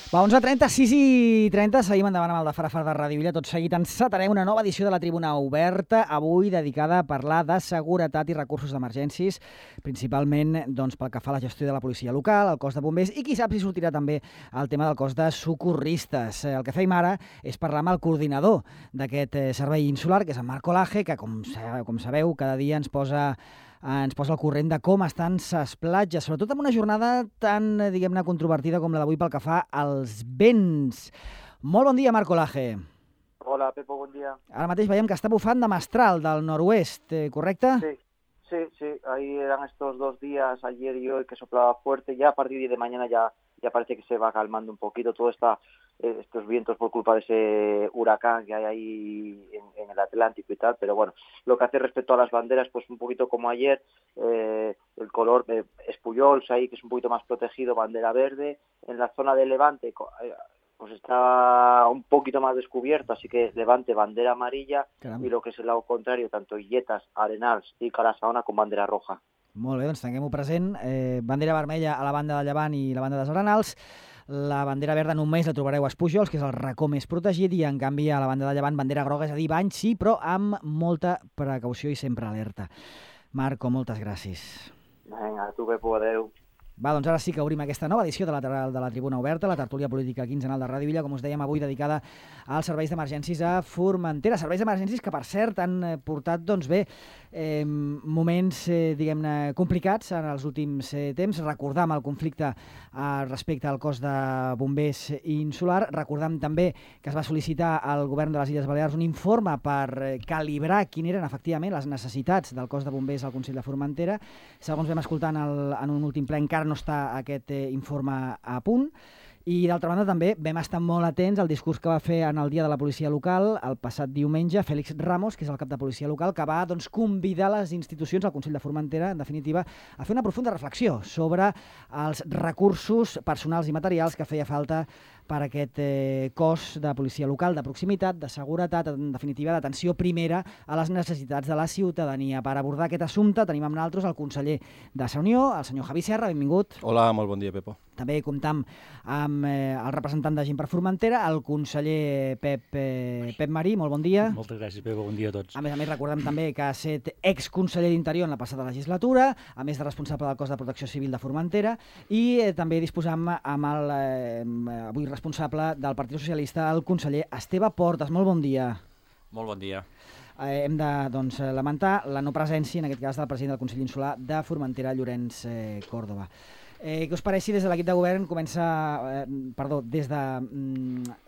Va, 11:30, 6:30, seguim endavant amb el de Farafar de Ràdio Illa. Tot seguit encetarem una nova edició de la Tribuna Oberta, avui dedicada a parlar de seguretat i recursos d'emergències, principalment pel que fa a la gestió de la policia local, el cos de bombers i qui sap si sortirà també el tema del cos de socorristes. El que fem ara és parlar amb el coordinador d'aquest servei insular, que és en Marc Olaje, que com sabeu cada dia ens posa al corrent de com estan ses platges, sobretot en una jornada tan, diguem-ne, controvertida com la d'avui pel que fa als vents. Molt bon dia, Marc Olaje. Hola, Pepo, bon dia. Ara mateix veiem que està bufant de mestral, del noroest, ¿correcte? Sí. Ahí eran estos 2 días, ayer y hoy, que soplaba fuerte. Ya a partir de mañana ya parece que se va calmando un poquito todo estos vientos por culpa de ese huracán que hay ahí en el Atlántico y tal. Pero bueno, lo que hace respecto a las banderas, pues un poquito como ayer, el color es Pujols ahí, que es un poquito más protegido, bandera verde. En la zona de Levante, pues está un poquito más descubierto, así que Levante, bandera amarilla. Caramba. Y lo que es el lado contrario, tanto Illetas, Arenals i Cala-Saona con bandera roja. Molt bé, doncs tinguem-ho present. Bandera vermella a la banda de Llevant i la banda dels Arenals. La bandera verda només la trobareu a Pujols, que és el racó més protegit, i en canvi a la banda de Llevant bandera groga, és a dir, bany sí, però amb molta precaució i sempre alerta. Marco, moltes gràcies. Vinga, tu, Pepo, adeu. Va, doncs ara sí que obrim aquesta nova edició de la Tribuna Oberta, la tertúlia política quinzenal de Ràdio Illa, com us dèiem avui, dedicada als serveis d'emergències a Formentera. Serveis d'emergències que, per cert, han portat, moments, diguem-ne, complicats en els últims temps. Recordam el conflicte respecte al cos de bombers insular. Recordam també que es va sol·licitar al govern de les Illes Balears un informe per calibrar quines eren, efectivament, les necessitats del cos de bombers al Consell de Formentera. Segons vam escoltar en un últim ple, encara no està aquest informe a punt. I, d'altra banda, també vam estar molt atents al discurs que va fer en el Dia de la Policia Local el passat diumenge Félix Ramos, que és el cap de Policia Local, que va convidar les institucions, el Consell de Formentera, en definitiva, a fer una profunda reflexió sobre els recursos personals i materials que feia falta per aquest cos de policia local, de proximitat, de seguretat, en definitiva, d'atenció primera a les necessitats de la ciutadania. Per abordar aquest assumpte tenim amb nosaltres el conseller de Unió, el senyor Javi Serra, benvingut. Hola, molt bon dia, Pepo. També comptam amb el representant de Gent per Formentera, el conseller Pep Marí, molt bon dia. Moltes gràcies, Pepo, bon dia a tots. A més, recordem també que ha estat exconseller d'Interior en la passada legislatura, a més de responsable del cos de protecció civil de Formentera, i també disposam amb el avui responsable del Partit Socialista, el conseller Esteve Portes. Molt bon dia. Molt bon dia. Hem de lamentar la no presència, en aquest cas, del president del Consell Insular de Formentera, Llorenç Córdoba. Què us pareix si des de l'equip de govern des de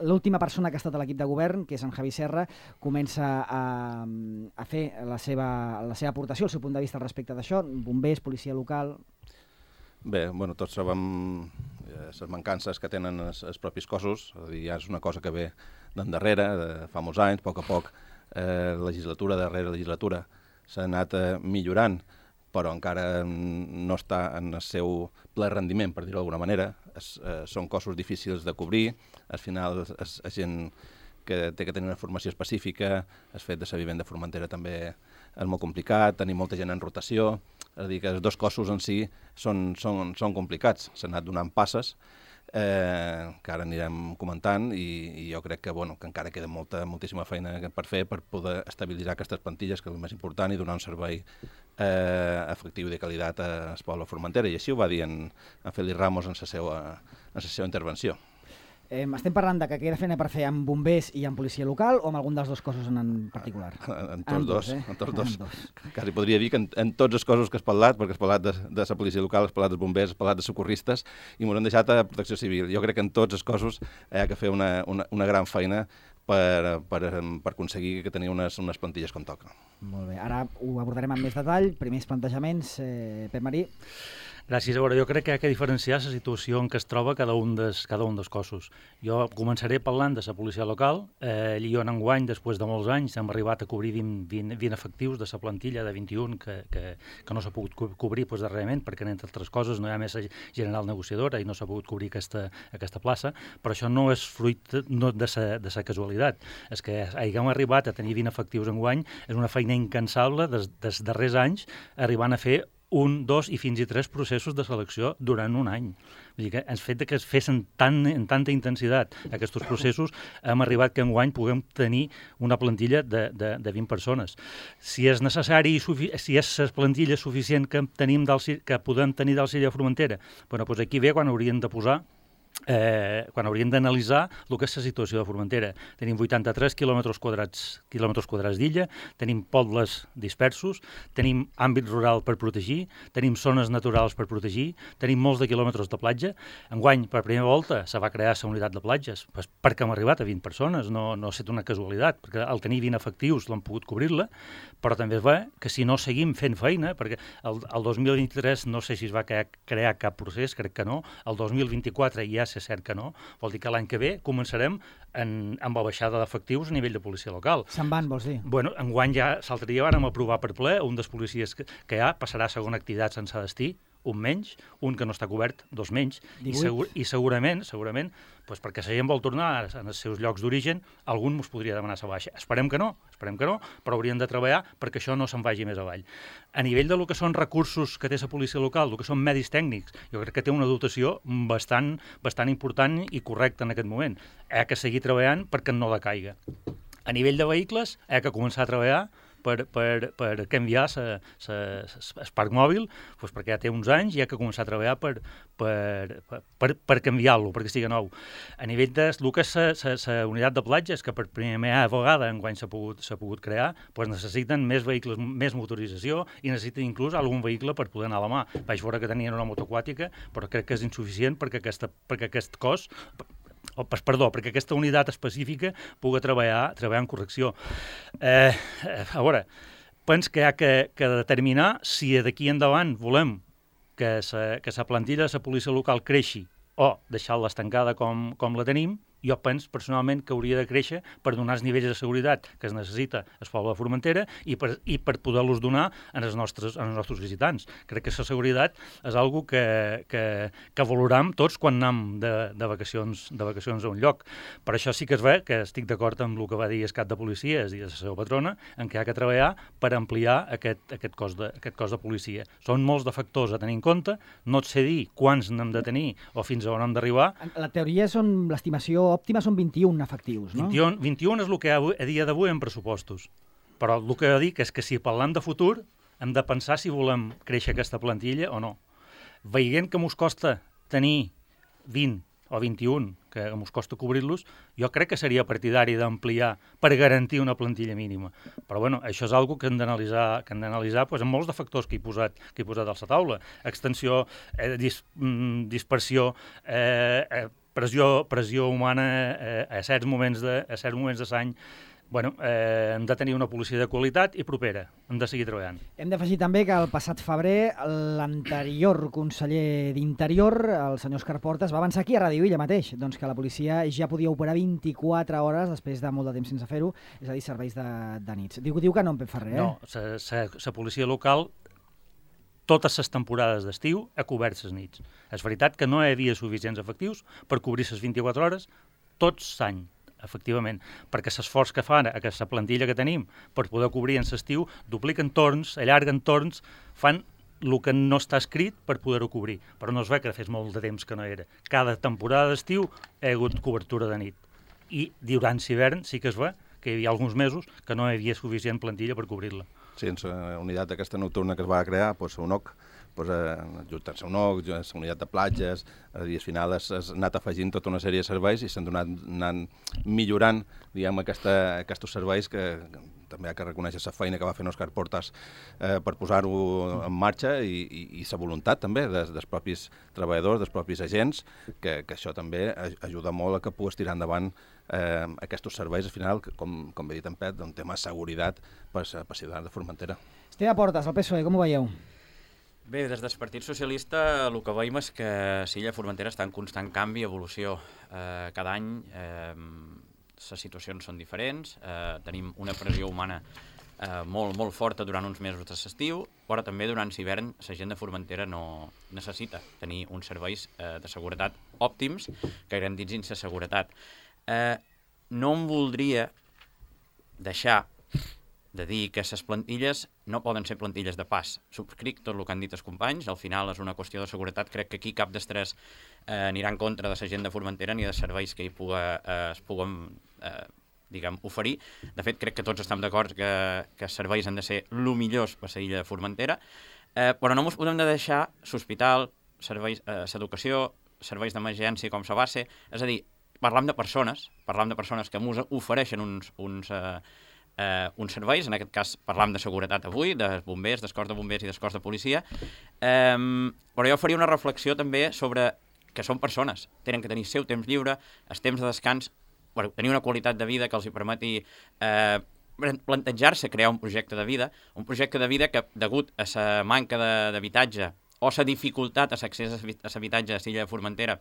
l'última persona que ha estat a l'equip de govern, que és en Javi Serra, comença a fer la seva aportació, el seu punt de vista respecte d'això, bombers, policia local... Bé, tots sabem les mancances que tenen els propis cossos, és a dir, ja és una cosa que ve d'endarrere, de fa molts anys, a poc, legislatura darrere legislatura, s'ha anat millorant, però encara no està en el seu ple rendiment, per dir-ho d'alguna manera. Són cossos difícils de cobrir, al final és gent que té que tenir una formació específica, el fet de ser vivent de Formentera també és molt complicat, tenir molta gent en rotació, és a dir, que els dos cossos en si són complicats, s'han anat donant passes, que ara anirem comentant, i jo crec que encara queda moltíssima feina per fer per poder estabilitzar aquestes plantilles, que és el més important, i donar un servei efectiu i de qualitat al poble de Formentera, i així ho va dir en Félix Ramos en la seva intervenció. Estem parlant de que queda feina per fer amb bombers i amb policia local o amb algun dels dos cossos en particular? En tots dos. Quasi podria dir que en tots els cossos que has parlat, perquè has parlat de la policia local, has parlat dels bombers, has parlat de socorristes, i m'ho han deixat a protecció civil. Jo crec que en tots els cossos hi ha que fer una gran feina per aconseguir que tenir unes plantilles com toca. Molt bé, ara ho abordarem amb més detall. Primers plantejaments, Pep Marí. Gràcies. A veure, jo crec que hi ha que diferenciar la situació en què es troba cada un dels cossos. Jo començaré parlant de la policia local. Jo en enguany, després de molts anys, hem arribat a cobrir 20 efectius de la plantilla de 21 que no s'ha pogut cobrir darrerament, perquè, entre altres coses, no hi ha més general negociadora i no s'ha pogut cobrir aquesta plaça, però això no és fruit de la casualitat. És que haguem arribat a tenir 20 efectius enguany és una feina incansable dels darrers anys, arribant a fer 1, 2 i fins i 3 processos de selecció durant un any. Vull dir que el fet que es fessin en tanta intensitat aquests processos, hem arribat que enguany puguem tenir una plantilla de 20 persones. Si és necessari, si és la plantilla suficient que podem tenir del Silla Formentera, doncs aquí ve quan hauríem de posar quan hauríem d'analitzar el que és la situació de Formentera. Tenim 83 quilòmetres quadrats d'illa, tenim pobles dispersos, tenim àmbit rural per protegir, tenim zones naturals per protegir, tenim molts de quilòmetres de platja. Enguany, per primera volta, se va crear la unitat de platges, perquè hem arribat a 20 persones, no ha estat una casualitat, perquè al tenir 20 efectius l'hem pogut cobrir-la, però també és bé que si no seguim fent feina, perquè el 2023 no sé si es va crear cap procés, crec que no, el 2024 ja és cert que no, vol dir que l'any que ve començarem amb la baixada d'efectius a nivell de policia local. Se'n van, vols dir? Bueno, enguany ja, l'altre dia vàrem aprovar per ple, un dels policies que hi ha passarà a segona activitat sense destí, un menys, un que no està cobert, dos menys, i segurament, doncs perquè la gent vol tornar als seus llocs d'origen, algun ens podria demanar la baixa. Esperem que no, però hauríem de treballar perquè això no se'n vagi més avall. A nivell de lo que són recursos que té la policia local, el que són medis tècnics, jo crec que té una dotació bastant important i correcta en aquest moment. Hi ha que seguir treballant perquè no decaiga. A nivell de vehicles, hi ha que començar a treballar per canviar el parc mòbil, doncs perquè ja té uns anys i ha que començar a treballar per canviar-lo, perquè sigui nou. A nivell de lo que és la unitat de platges, que per primera vegada enguany s'ha pogut crear, doncs necessiten més vehicles, més motorització i necessiten inclús algun vehicle per poder anar a la mà. Vaig veure que tenien una moto aquàtica, però crec que és insuficient perquè aquest cos... perquè aquesta unitat específica pugui treballar en correcció. A veure, penso que hi ha que determinar si d'aquí endavant volem que la plantilla de la policia local creixi o deixar-la estancada com la tenim. Jo penso personalment que hauria de créixer per donar els nivells de seguretat que es necessita al poble de Formentera i per poder-los donar als nostres visitants. Crec que la seguretat és una que valoram tots quan anem de vacacions a un lloc. Per això sí que es ve que estic d'acord amb el que va dir el cap de policies i la seva patrona, en què hi ha que treballar per ampliar aquest cos de policia. Són molts de factors a tenir en compte, no et sé dir quants n'hem de tenir o fins a on hem d'arribar. La teoria són l'estimació òptima són 21 efectius, no? 21 és el que a dia d'avui en pressupostos. Però el que dic és que si parlem de futur hem de pensar si volem créixer aquesta plantilla o no. Veient que mos costa tenir 20 o 21, que ens costa cobrir-los, jo crec que seria partidari d'ampliar per garantir una plantilla mínima. Però bueno, això és una que hem d'analitzar doncs, amb molts de factors que he posat a la taula. Extensió, dispersió, pressió humana a certs moments de l'any. Bueno, hem de tenir una policia de qualitat i propera. Hem de seguir treballant. Hem d'afegir també que el passat febrer l'anterior conseller d'Interior, el senyor Òscar Portas, va avançar aquí a Ràdio Illa mateix, doncs que la policia ja podia operar 24 hores després de molt de temps sense fer-ho, és a dir, serveis de nits. Diu que no en fa res, No, la policia local totes les temporades d'estiu ha cobert les nits. És veritat que no hi havia suficients efectius per cobrir les 24 hores tots l'any, efectivament, perquè l'esforç que fan aquesta plantilla que tenim per poder cobrir en l'estiu dupliquen torns, allarguen torns, fan el que no està escrit per poder-ho cobrir. Però no es ve que fes molt de temps que no era. Cada temporada d'estiu hi ha hagut cobertura de nit. I durant l'hivern sí que es ve que hi havia alguns mesos que no hi havia suficient plantilla per cobrir-la. Sí, en la unitat aquesta nocturna que es va crear, UNOC, ajuntant-se a UNOC, la unitat de platges, i al final has anat afegint tota una sèrie de serveis i s'han anat millorant, diguem, aquests serveis que també ha que reconèixer la feina que va fer Òscar Portas per posar-ho en marxa i la voluntat també dels propis treballadors, dels propis agents, que això també ajuda molt a que puguis tirar endavant aquests serveis, al final, com bé dit en Pep, un tema de seguretat per a ciutadans de Formentera. Esteve Portas, el PSOE, com ho veieu? Bé, des del Partit Socialista el que veiem és que Silla Formentera està en constant canvi i evolució. Cada any les situacions són diferents, tenim una pressió humana molt forta durant uns mesos de l'estiu, però també durant l'hivern la gent de Formentera no necessita tenir uns serveis de seguretat òptims que garanteixin la seguretat. No em voldria deixar de dir que les plantilles no poden ser plantilles de pas. Subscric tot el que han dit els companys, al final és una qüestió de seguretat, crec que aquí cap dels tres anirà en contra de la gent de Formentera ni de serveis que es puguen oferir. De fet, crec que tots estem d'acord que els serveis han de ser el millors per la illa de Formentera, però no ens podem de deixar l'hospital, l'educació, serveis d'emergència com la base, és a dir, parlam de persones que ens ofereixen uns serveis, en aquest cas parlam de seguretat avui, dels bombers, del cos de bombers i del cos de policia, però jo faria una reflexió també sobre que són persones, tenen que tenir seu temps lliure, els temps de descans, tenir una qualitat de vida que els hi permeti plantejar-se crear un projecte de vida que, degut a la manca d'habitatge o la dificultat a l'accés a l'habitatge a l'illa de Formentera,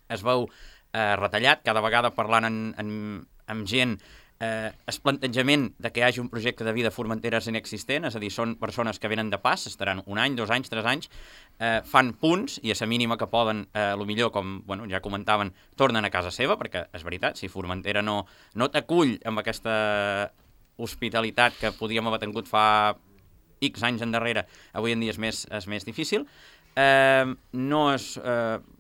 es veu retallat, cada vegada parlant amb gent, el plantejament de que hi hagi un projecte de vida a Formentera és inexistent, és a dir, són persones que venen de pas, estaran 1 any, 2 anys, 3 anys, fan punts i a la mínima que poden, millor, com ja comentaven, tornen a casa seva, perquè és veritat, si Formentera no t'acull amb aquesta hospitalitat que podíem haver tingut fa X anys endarrere, avui en dia és més difícil.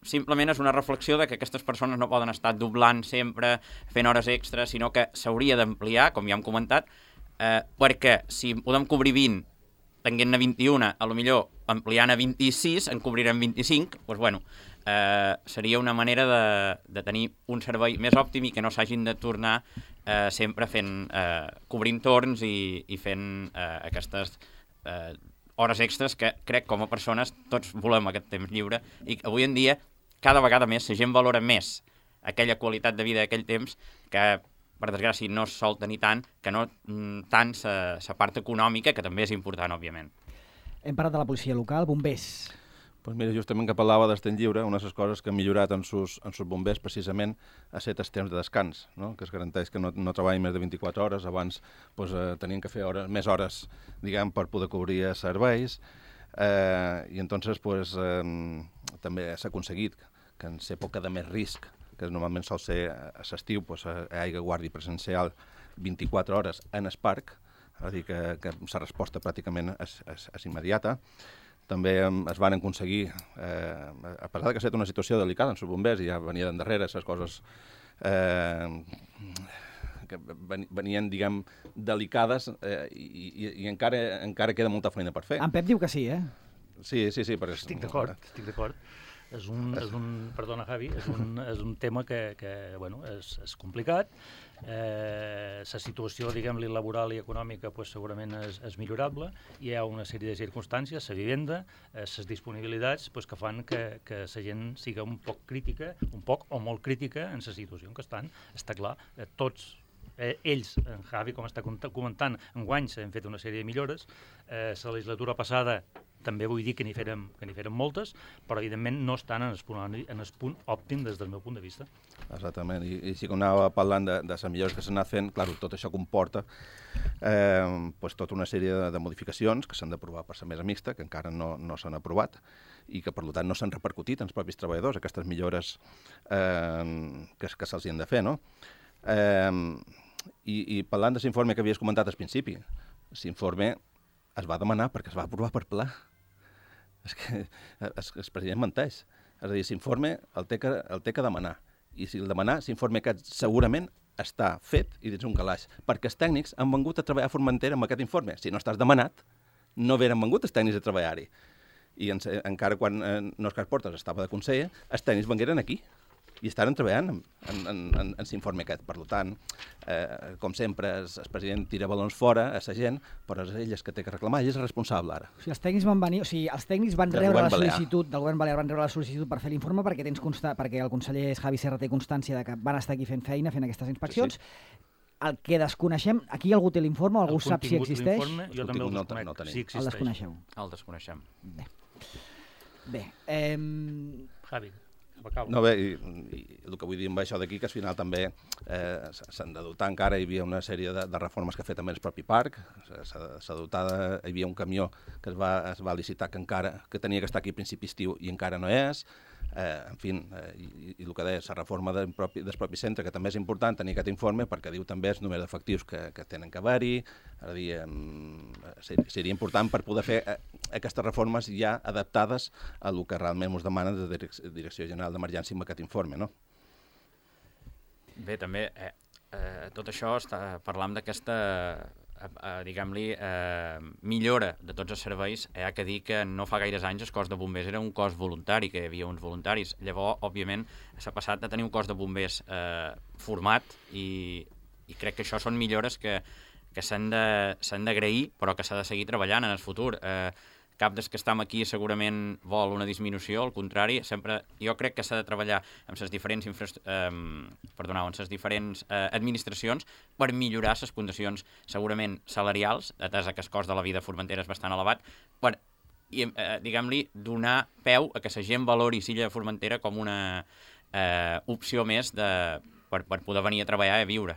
Simplement és una reflexió de que aquestes persones no poden estar doblant sempre, fent hores extres, sinó que s'hauria d'ampliar, com ja hem comentat, perquè si podem cobrir 20, tenint-ne 21, a lo millor ampliant a 26, en cobrirem 25, doncs seria una manera de tenir un servei més òptim i que no s'hagin de tornar sempre cobrint torns i fent aquestes hores extres que crec com a persones tots volem aquest temps lliure i avui en dia cada vegada més la gent valora més aquella qualitat de vida d'aquell temps que per desgràcia no es sol tenir tant que no tant la part econòmica que també és important, òbviament. Hem parlat de la policia local, bombers. Pues mira, justament que parlava del temps lliure, una de les coses que han millorat en sus bombers precisament ha estat els temps de descans, no? Que es garanteix que no treballin més de 24 hores, abans tenien que fer més hores, diguem, per poder cobrir serveis, i entonces també s'ha aconseguit que en l'època de més risc, que normalment sol ser a l'estiu, hi hagi guàrdia presencial 24 hores en el parc, és a dir, que la resposta pràcticament és immediata. També es van aconseguir, a pesar que ha estat una situació delicada en els bombers, i ja venia d'endarrere, les coses que venien, diguem, delicades, i encara queda molta feina per fer. En Pep diu que sí, eh? Sí. Estic d'acord. Perdona, Javi, és un tema que és complicat. La situació, diguem-li, laboral i econòmica segurament és millorable. Hi ha una sèrie de circumstàncies, la vivenda, les disponibilitats, que fan que la gent siga un poc crítica, un poc o molt crítica en la situació en què estan. Està clar, tots ells, en Javi, com està comentant, enguany s'han fet una sèrie de millores. La legislatura passada també vull dir que n'hi feren moltes, però evidentment no estan en el punt òptim des del meu punt de vista. Exactament, i sí que anava parlant de les millores que s'han anat fent, clar, tot això comporta tota una sèrie de modificacions que s'han d'aprovar per la mesa mixta, que encara no s'han aprovat, i que per tant no s'han repercutit en els propis treballadors, aquestes millores que se'ls han de fer, no? I parlant de l'informe que havies comentat al principi, l'informe es va demanar perquè es va aprovar per ple. És que el president menteix. És a dir, l'informe el té que demanar. I si el demanar, l'informe aquest segurament està fet i dins un calaix. Perquè els tècnics han vengut a treballar a Formentera amb aquest informe. Si no estàs demanat, no haurien vengut els tècnics a treballar-hi. I encara quan Òscar Portas estava de conseller, els tècnics vengueren aquí i estaven treballant en l'informe aquest. Per tant, com sempre, el president tira balons fora a la gent, però és ell que té que reclamar, ell és responsable ara. Els tècnics van venir, els tècnics van rebre la sol·licitud del govern balear, van rebre la sol·licitud per fer l'informe perquè el conseller Javi Serra té constància de que van estar aquí fent feina, fent aquestes inspeccions. Sí. El que desconeixem, aquí algú té l'informe, algú sap si existeix? Jo també el desconec, si existeix. El desconeixeu? El desconeixem. Bé. Javi. No, bé, i el que vull dir amb això d'aquí, que al final també s'han de dotar encara, hi havia una sèrie de reformes que ha fet també el propi parc, s'ha dotat, hi havia un camió que es va licitar que tenia que estar aquí a principi estiu i encara no és, en fi, i el que deia, la reforma del propi centre, que també és important tenir aquest informe, perquè diu també el número d'efectius que tenen que haver-hi, seria important per poder fer aquestes reformes ja adaptades a el que realment ens demana la Direcció General d'Emergència amb aquest informe, no? Bé, també, tot això parlam d'aquesta diguem-li, millora de tots els serveis. Hi ha que dir que no fa gaires anys el cos de bombers era un cos voluntari, que hi havia uns voluntaris. Llavors, òbviament, s'ha passat de tenir un cos de bombers format i crec que això són millores que s'han d'agrair, però que s'ha de seguir treballant en el futur. Cap dels que estem aquí segurament vol una disminució, al contrari, sempre jo crec que s'ha de treballar amb les diferents administracions per millorar les condicions segurament salarials, atès que el cost de la vida a Formentera és bastant elevat, per, diguem-li, donar peu a que la gent valori l'illa de Formentera com una opció més per poder venir a treballar i a viure.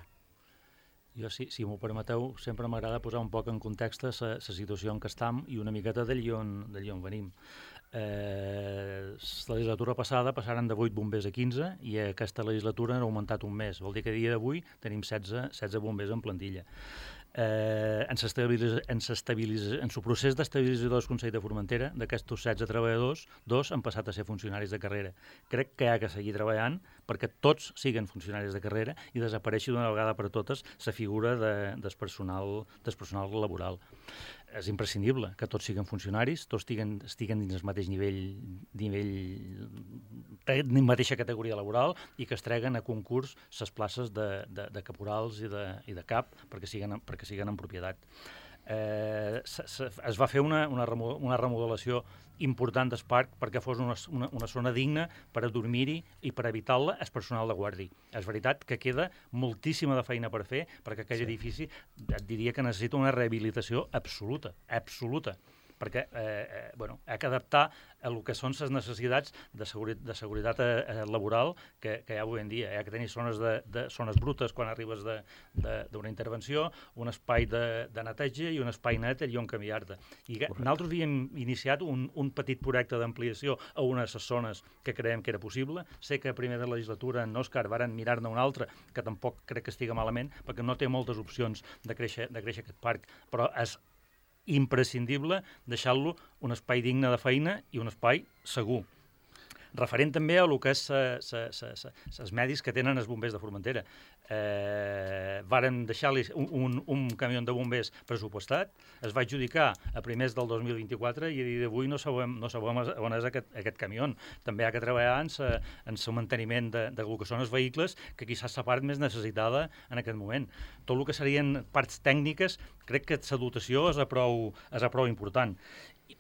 Jo, si m'ho permeteu, sempre m'agrada posar un poc en context la situació en què estem i una miqueta d'allí on venim. La legislatura passada passaren de 8 bombers a 15 i aquesta legislatura han augmentat un mes. Vol dir que a dia d'avui tenim 16 bombers en plantilla. En el procés d'estabilització del Consell de Formentera, d'aquests 16 treballadors, 2 han passat a ser funcionaris de carrera. Crec que hi ha que seguir treballant perquè tots siguin funcionaris de carrera i desapareixi d'una vegada per totes la figura del personal laboral. És imprescindible que tots siguin funcionaris, tots estiguen dins el mateix nivell de mateixa categoria laboral i que es treguen a concurs les places de caporals i de cap perquè siguin en propietat. Es va fer una remodelació important del parc perquè fos una zona digna per a dormir-hi i per evitar-la el personal de guàrdia. És veritat que queda moltíssima de feina per fer perquè aquell edifici et diria que necessita una rehabilitació absoluta, perquè ha que adaptar a el que són les necessitats de seguretat laboral que hi ha avui en dia. Hi ha que tenir zones brutes quan arribes d'una intervenció, un espai de neteja i un espai net allà on canviar-te. I nosaltres havíem iniciat un petit projecte d'ampliació a una de les zones que creiem que era possible. Sé que a primer de legislatura en Òscar varen mirar-ne una altra, que tampoc crec que estiga malament, perquè no té moltes opcions de créixer aquest parc, però és imprescindible deixar-lo un espai digne de feina i un espai segur. Referent també a el que és els medis que tenen els bombers de Formentera. Varen deixar-li un camió de bombers pressupostat, es va adjudicar a primers del 2024 i a dia d'avui no sabem on és aquest camió. També hi ha que treballar en el manteniment del que són els vehicles, que quizás la part més necessitada en aquest moment. Tot el que serien parts tècniques, crec que la dotació és a prou important.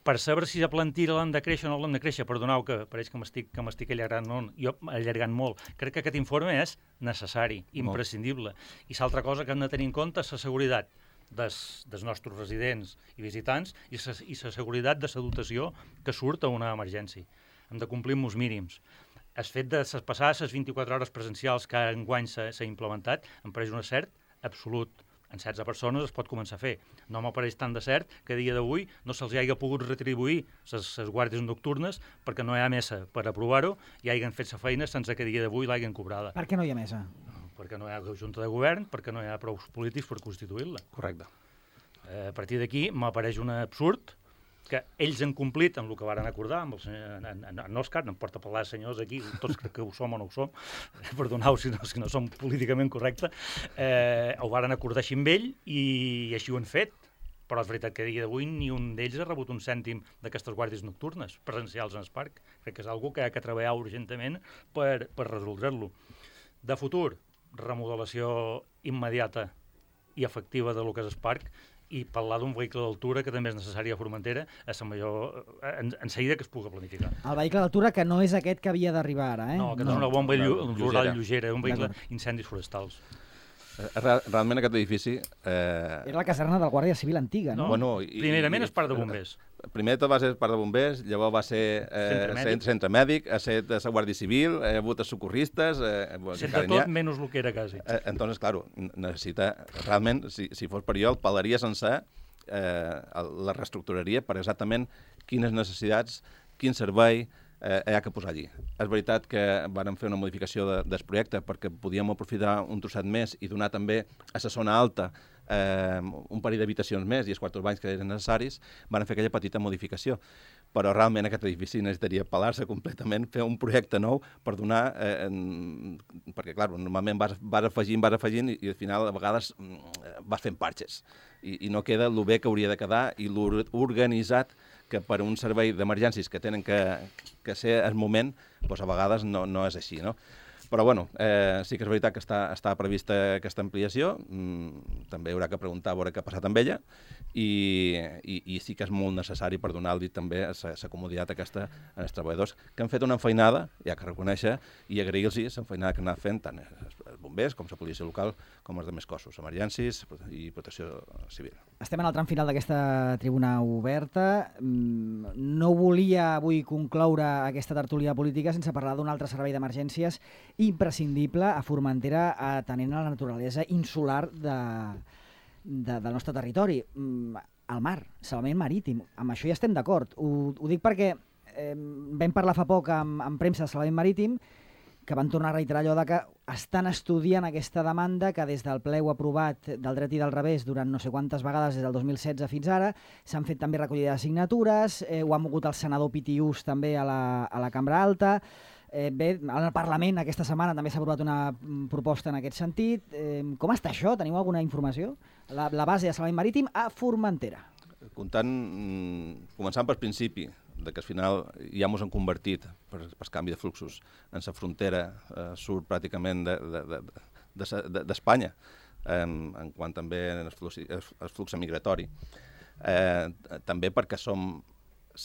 Per saber si la plantilla l'han de créixer o no l'han de créixer, perdoneu que pareix que m'estic allargant molt. Crec que aquest informe és necessari, imprescindible. I l'altra cosa que hem de tenir en compte és la seguretat dels nostres residents i visitants i la seguretat de la dotació que surt a una emergència. Hem de complir amb els mínims. El fet de passar les 24 hores presencials que enguany s'ha implementat em pareix un cert absolut. En 16 persones es pot començar a fer. No m'apareix tant de cert que a dia d'avui no se'ls hagi pogut retribuir les guàrdies nocturnes perquè no hi ha mesa per aprovar-ho i hagin fet la feina sense que a dia d'avui l'hagin cobrada. Per què no hi ha mesa? Perquè no hi ha junta de govern, perquè no hi ha prou polítics per constituir-la. Correcte. A partir d'aquí m'apareix un absurd que ells han complit amb el que varen acordar, amb el senyor en Òscar, no em porta a parlar de senyors aquí, tots crec que ho som o no ho som, perdoneu si no som políticament correctes, ho varen acordar així amb ell i així ho han fet, però és veritat que a dia d'avui ni un d'ells ha rebut un cèntim d'aquestes guàrdies nocturnes presencials en el parc. Crec que és una cosa que ha de treballar urgentament per resoldre-lo. De futur, remodelació immediata i efectiva de lo que és el parc, i parlar d'un vehicle d'altura que també és necessari a Formentera és la millor en seguida que es pugui planificar. El vehicle d'altura que no és aquest que havia d'arribar ara, No, aquest és una bomba rural lleugera, un vehicle incendis forestals. Realment aquest edifici... Era la caserna del Guàrdia Civil antiga, no? Primerament és part de bombers. Primer tot va ser part de bombers, llavors va ser centre mèdic, ha set de la Guàrdia Civil, ha hagut socorristes... Sempre tot menys el que era quasi. Entonces, claro, necessita... Realment, si fos per jo, el palaria sencer, la reestructuraria per exactament quines necessitats, quin servei, hi ha que posar allí. És veritat que vàrem fer una modificació del projecte perquè podíem aprofitar un trosset més i donar també a la zona alta un parell d'habitacions més i els quartos banys que eren necessaris, van fer aquella petita modificació. Però realment aquest edifici necessitaria pelar-se completament, fer un projecte nou per donar... perquè, clar, normalment vas afegint i al final a vegades vas fent parxes i no queda el bé que hauria de quedar i l'organitzat que per un servei d'emergències que tenen que ser al moment, doncs a vegades no és així, no? Però, bueno, sí que és veritat que està prevista aquesta ampliació, també haurà que preguntar a veure què ha passat amb ella, i sí que és molt necessari per donar-li també la comoditat aquesta als treballadors que han fet una feinada, hi ha que reconèixer, i agrair-los la feinada que han anat fent tant els bombers com la policia local com els altres cossos, emergències i protecció civil. Estem en el tram final d'aquesta tribuna oberta. No volia avui concloure aquesta tertúlia política sense parlar d'un altre servei d'emergències imprescindible a Formentera, atenent a la naturalesa insular del nostre territori. El mar, salvament marítim. Amb això ja estem d'acord. Ho dic perquè vam parlar fa poc amb premsa de salvament marítim, que van tornar a reiterar allò que estan estudiant aquesta demanda que des del ple aprovat del dret i del revés durant no sé quantes vegades des del 2016 fins ara, s'han fet també recollida de signatures, ho ha mogut el senador Pitiús també a la Cambra Alta. Bé, al Parlament aquesta setmana també s'ha aprovat una proposta en aquest sentit. Com està això? Teniu alguna informació? La base de salvament marítim a Formentera. Començant pel principi, que al final ja ens hem convertit per canvi de fluxos en la frontera sud pràcticament d'Espanya, en quant també el flux migratori. També perquè som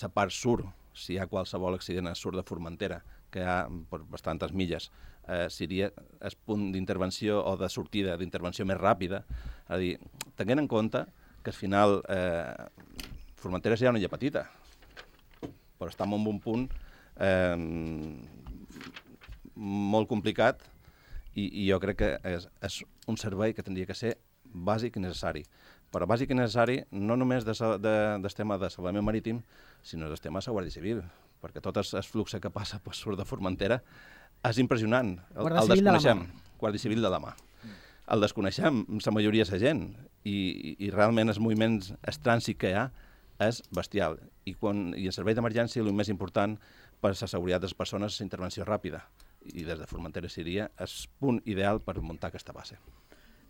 la part sud, si hi ha qualsevol accident al sud de Formentera, que hi ha per bastantes milles, seria el punt d'intervenció o de sortida d'intervenció més ràpida. És a dir, tenint en compte que al final Formentera és ja una illa petita, però estem en un punt molt complicat i jo crec que és un servei que hauria que ser bàsic i necessari. Però bàsic i necessari no només del tema de salvament marítim, sinó del tema de la Guàrdia Civil, perquè tot el flux que passa per sud de Formentera és impressionant. Guàrdia Civil de la mà. Guàrdia Civil de la mà. El desconeixem, la majoria de la gent, i realment els moviments, el trànsit que hi ha, és bestial. I el servei d'emergència, el més important per a la seguretat de les persones és la intervenció ràpida. I des de Formentera seria el punt ideal per muntar aquesta base.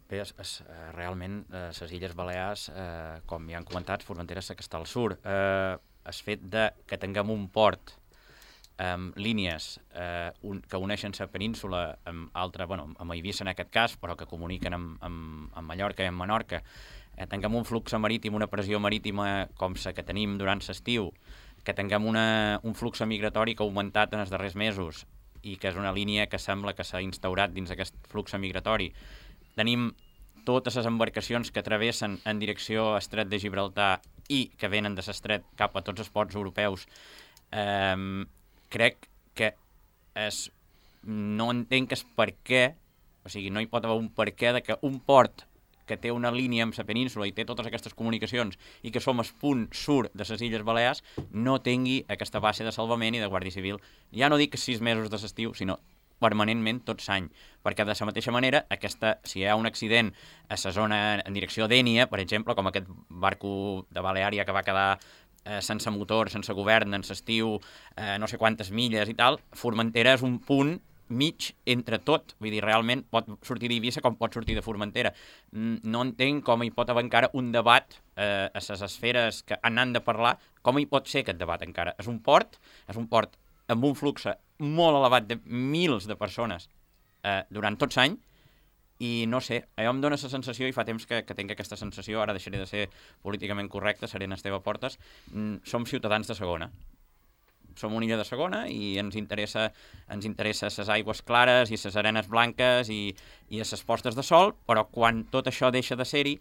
Bé, realment, les Illes Balears, com ja han comentat, Formentera és que està al sud. El fet que tinguem un port amb línies que uneixen la península amb Eivissa en aquest cas, però que comuniquen amb Mallorca i amb Menorca, tinguem un flux marítim, una pressió marítima com la que tenim durant l'estiu, que tinguem un flux migratori que ha augmentat en els darrers mesos i que és una línia que sembla que s'ha instaurat dins aquest flux migratori. Tenim totes les embarcacions que travessen en direcció a Estret de Gibraltar i que venen de l'estret cap a tots els ports europeus. Crec que no entenc per què, o sigui, no hi pot haver un per què de que un port que té una línia amb la península i té totes aquestes comunicacions i que som el punt sud de les Illes Balears no tingui aquesta base de salvament i de Guàrdia Civil. Ja no dic 6 mesos de l'estiu, sinó permanentment tot l'any, perquè de la mateixa manera, si hi ha un accident a la zona en direcció d'Ènia, per exemple, com aquest barco de Baleària que va quedar sense motor, sense govern, en l'estiu, no sé quantes milles i tal, Formentera és un punt mig entre tot, vull dir, realment pot sortir d'Eivissa com pot sortir de Formentera. No entenc com hi pot haver encara un debat a les esferes que han de parlar, com hi pot ser aquest debat encara. És un port amb un flux molt elevat de milers de persones durant tot l'any, i no sé, allò em dóna la sensació, i fa temps que tinc aquesta sensació, ara deixaré de ser políticament correcte, seré en Esteve Portes, som ciutadans de segona. Som una illa de segona i ens interessa les aigües clares i les arenes blanques i les postes de sol, però quan tot això deixa de ser-hi,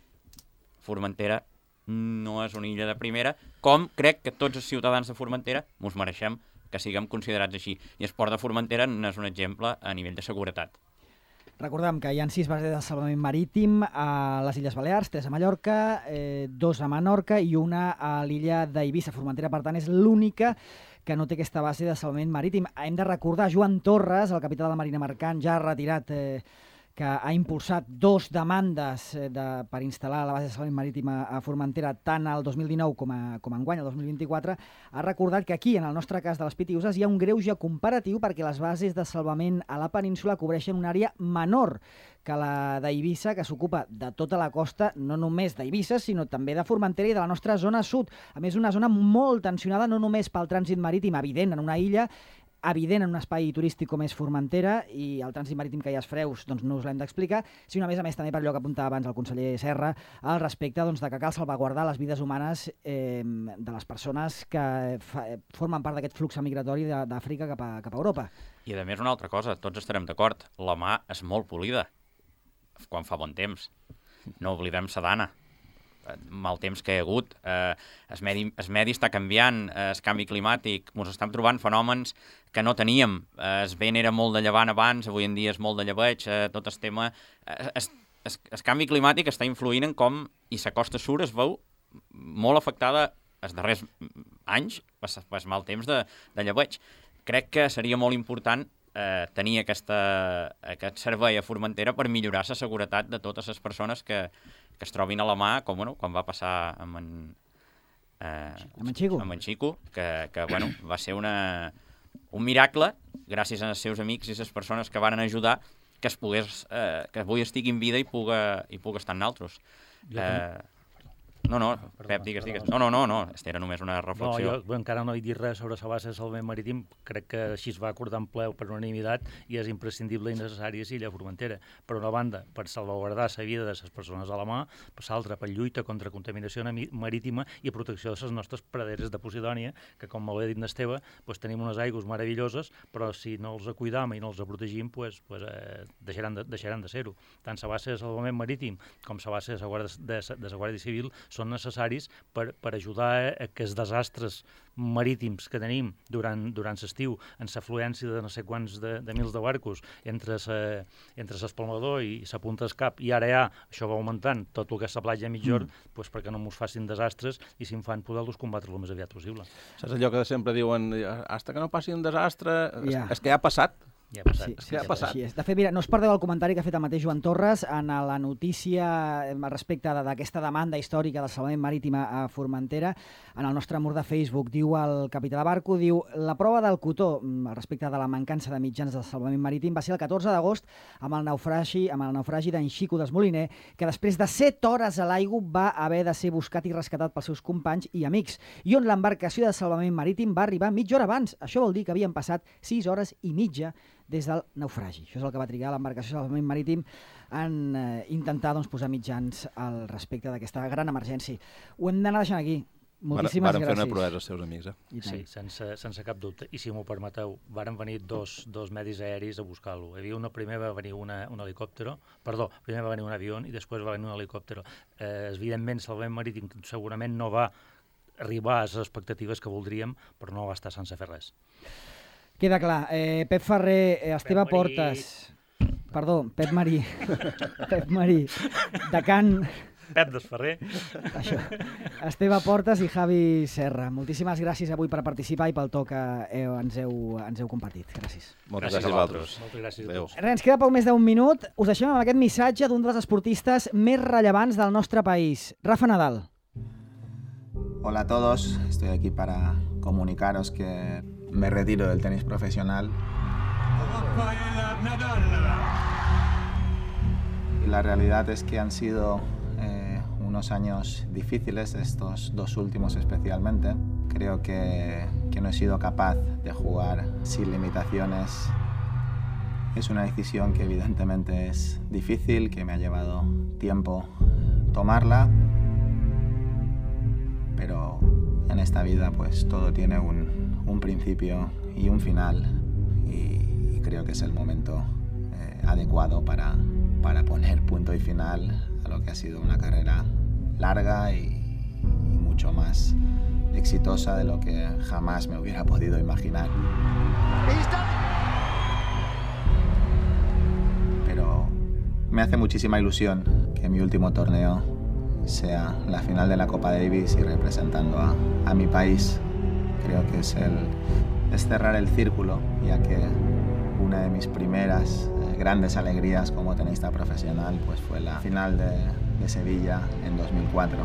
Formentera no és una illa de primera, com crec que tots els ciutadans de Formentera ens mereixem que siguem considerats així. I el port de Formentera n'és un exemple a nivell de seguretat. Recordem que hi ha 6 bases de salvament marítim a les Illes Balears, 3 a Mallorca, 2 a Menorca i una a l'illa d'Eivissa. Formentera, per tant, és l'única que no té aquesta base de salvament marítim. Hem de recordar Joan Torres, el capità de la Marina Mercant, ja retirat, que ha impulsat 2 demandes per instal·lar la base de salvament marítim a Formentera tant el 2019 com enguany, el 2024, ha recordat que aquí, en el nostre cas de les Pitiüses, hi ha un greuge comparatiu perquè les bases de salvament a la península cobreixen una àrea menor que la d'Eivissa, que s'ocupa de tota la costa, no només d'Eivissa, sinó també de Formentera i de la nostra zona sud. A més, una zona molt tensionada, no només pel trànsit marítim evident en una illa, evident en un espai turístic com és Formentera, i el trànsit marítim que hi ha als Freus doncs no us l'hem d'explicar, sinó a més també per allò que apuntava abans el conseller Serra al respecte de que cal salvaguardar les vides humanes de les persones que formen part d'aquest flux migratori d'Àfrica cap a Europa. I a més una altra cosa, tots estarem d'acord, la mà és molt polida quan fa bon temps. No oblidem Sadana, mal temps que hi ha hagut, el medi està canviant, el canvi climàtic, ens estem trobant fenòmens que no teníem, el vent era molt de llevant abans, avui en dia és molt de llebeig, tot el tema, el canvi climàtic està influint en com, i la costa sur es veu molt afectada els darrers anys, el mal temps de llebeig. Crec que seria molt important tenir aquest servei a Formentera per millorar la seguretat de totes les persones que es trobin a la mà, com quan va passar amb en Xico, que va ser un miracle, gràcies als seus amics i les persones que van ajudar, que avui estigui en vida i puga estar en altres. No, Pep, digues. No, era només una reflexió. Jo encara no he dit res sobre la base de salvament marítim, crec que així es va acordar en ple per unanimitat i és imprescindible i necessari a l'illa de Formentera. Per una banda, per salvaguardar la vida de les persones a la mà, per l'altra, per lluita contra contaminació marítima i protecció de les nostres praderes de Posidònia, que, com molt bé dit n'Esteve, tenim unes aigües meravelloses, però si no els cuidam i no els protegim, deixaran de ser-ho. Tant la base de salvament marítim com la base de la Guàrdia Civil són necessaris per ajudar a que els desastres marítims que tenim durant l'estiu, en l'afluència de no sé quants de mils de barcos entre l'espalmador i la punta del cap, i ara això va augmentant tot el que és la platja mitjorn, perquè no ens facin desastres i si en fan poder-los combatre el més aviat possible. Saps allò que sempre diuen, hasta que no passi un desastre, és que ja ha passat. Ja ha passat. Sí, ha passat. De fet, mira, no us perdeu el comentari que ha fet el mateix Joan Torres en la notícia respecte d'aquesta demanda històrica del salvament marítim a Formentera. En el nostre mur de Facebook diu el capità de barco, la prova del cotó respecte de la mancança de mitjans del salvament marítim va ser el 14 d'agost amb el naufragi d'en Xico d'Esmoliner, que després de 7 hores a l'aigua va haver de ser buscat i rescatat pels seus companys i amics, i on l'embarcació de salvament marítim va arribar mitja hora abans. Això vol dir que havien passat 6 hores i mitja des del naufragi. Això és el que va trigar l'embarcació de salvament marítim en intentar posar mitjans al respecte d'aquesta gran emergència. Ho hem d'anar deixant aquí. Moltíssimes gràcies. Varen fer una proesa als seus amics, Sí, sense cap dubte. I si m'ho permeteu, varen venir dos medis aeris a buscar-lo. Primer va venir un helicòptero, primer va venir un avió i després va venir un helicòptero. Evidentment, el salvament marítim segurament no va arribar a les expectatives que voldríem, però no va estar sense fer res. Queda clar. Pep Ferrer, Esteve Portes... Perdó, Pep Marí. Pep Marí. Decant... Pep Desferrer. Això. Esteve Portes i Javi Serra. Moltíssimes gràcies avui per participar i pel to que ens heu compartit. Gràcies. Moltes gràcies a vosaltres. Moltes gràcies a tots. Ens queda poc més d'un minut. Us deixem amb aquest missatge d'un dels esportistes més rellevants del nostre país, Rafa Nadal. Hola a todos, estoy aquí para comunicaros que me retiro del tenis profesional. Y la realidad es que han sido unos años difíciles, estos 2 últimos especialmente. Creo que no he sido capaz de jugar sin limitaciones. Es una decisión que evidentemente es difícil, que me ha llevado tiempo tomarla, pero en esta vida pues todo tiene un principio y un final, y creo que es el momento adecuado para poner punto y final a lo que ha sido una carrera larga y mucho más exitosa de lo que jamás me hubiera podido imaginar. Pero me hace muchísima ilusión que mi último torneo sea la final de la Copa Davis y representando a mi país. creo que es cerrar el círculo, ya que una de mis primeras grandes alegrías como tenista profesional pues fue la final de Sevilla en 2004.